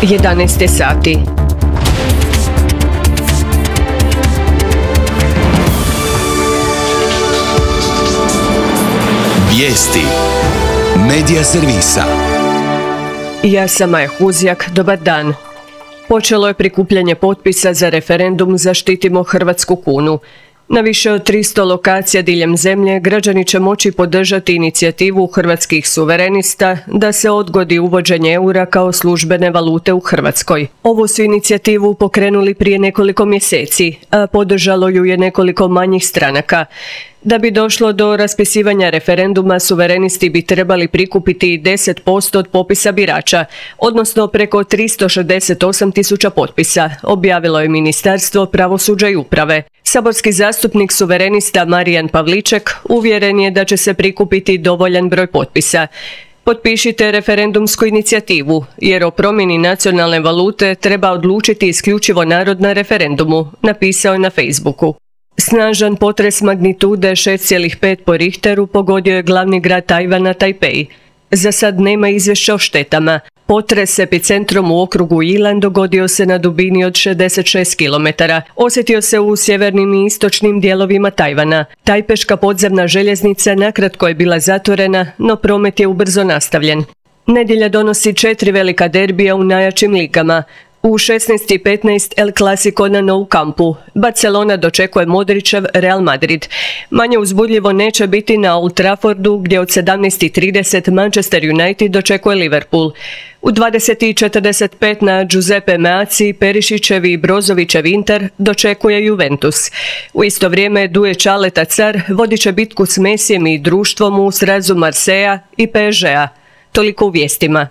11 sati. Vijesti Medija servisa. Ja sam Maja Huzjak, dobar dan. Počelo je prikupljanje potpisa za referendum Zaštitimo hrvatsku kunu. Na više od 300 lokacija diljem zemlje građani će moći podržati inicijativu hrvatskih suverenista da se odgodi uvođenje eura kao službene valute u Hrvatskoj. Ovu su inicijativu pokrenuli prije nekoliko mjeseci, a podržalo ju je nekoliko manjih stranaka. Da bi došlo do raspisivanja referenduma, suverenisti bi trebali prikupiti 10% od popisa birača, odnosno preko 368.000 potpisa, objavilo je Ministarstvo pravosuđa i uprave. Saborski zastupnik suverenista Marijan Pavliček uvjeren je da će se prikupiti dovoljan broj potpisa. Potpišite referendumsku inicijativu, jer o promjeni nacionalne valute treba odlučiti isključivo narod na referendumu, napisao je na Facebooku. Snažan potres magnitude 6,5 po Richteru pogodio je glavni grad Tajvana, Tajpej. Za sad nema izvješća o štetama. Potres epicentrom u okrugu Ilan dogodio se na dubini od 66 km. Osjetio se u sjevernim i istočnim dijelovima Tajvana. Tajpeška podzemna željeznica nakratko je bila zatvorena, no promet je ubrzo nastavljen. Nedjelja donosi 4 velika derbija u najjačim ligama. U 16:15 El Clasico na Nou Campu. Barcelona dočekuje Modrićev Real Madrid. Manje uzbudljivo neće biti na Old Traffordu, gdje od 17:30 Manchester United dočekuje Liverpool. U 20:45 na Giuseppe Meazzi, Perišićev i Brozovićev Inter dočekuje Juventus. U isto vrijeme Duje Čaleta Car vodit će bitku s Messijem i društvom u srazu Marseja i PSG-a. Toliko u vijestima.